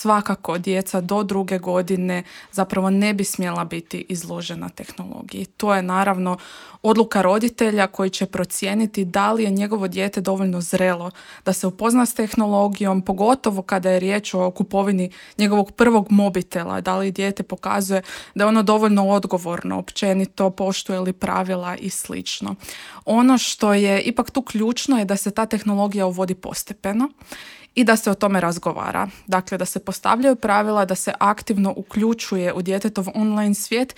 svakako djeca do 2. godine zapravo ne bi smjela biti izložena tehnologiji. To je naravno odluka roditelja koji će procijeniti da li je njegovo dijete dovoljno zrelo da se upozna s tehnologijom, pogotovo kada je riječ o kupovini njegovog prvog mobitela, da li dijete pokazuje da je ono dovoljno odgovorno, općenito poštuje li pravila i slično. Ono što je ipak tu ključno je da se ta tehnologija uvodi postepeno i da se o tome razgovara. Dakle, da se postavljaju pravila, da se aktivno uključuje u djetetov online svijet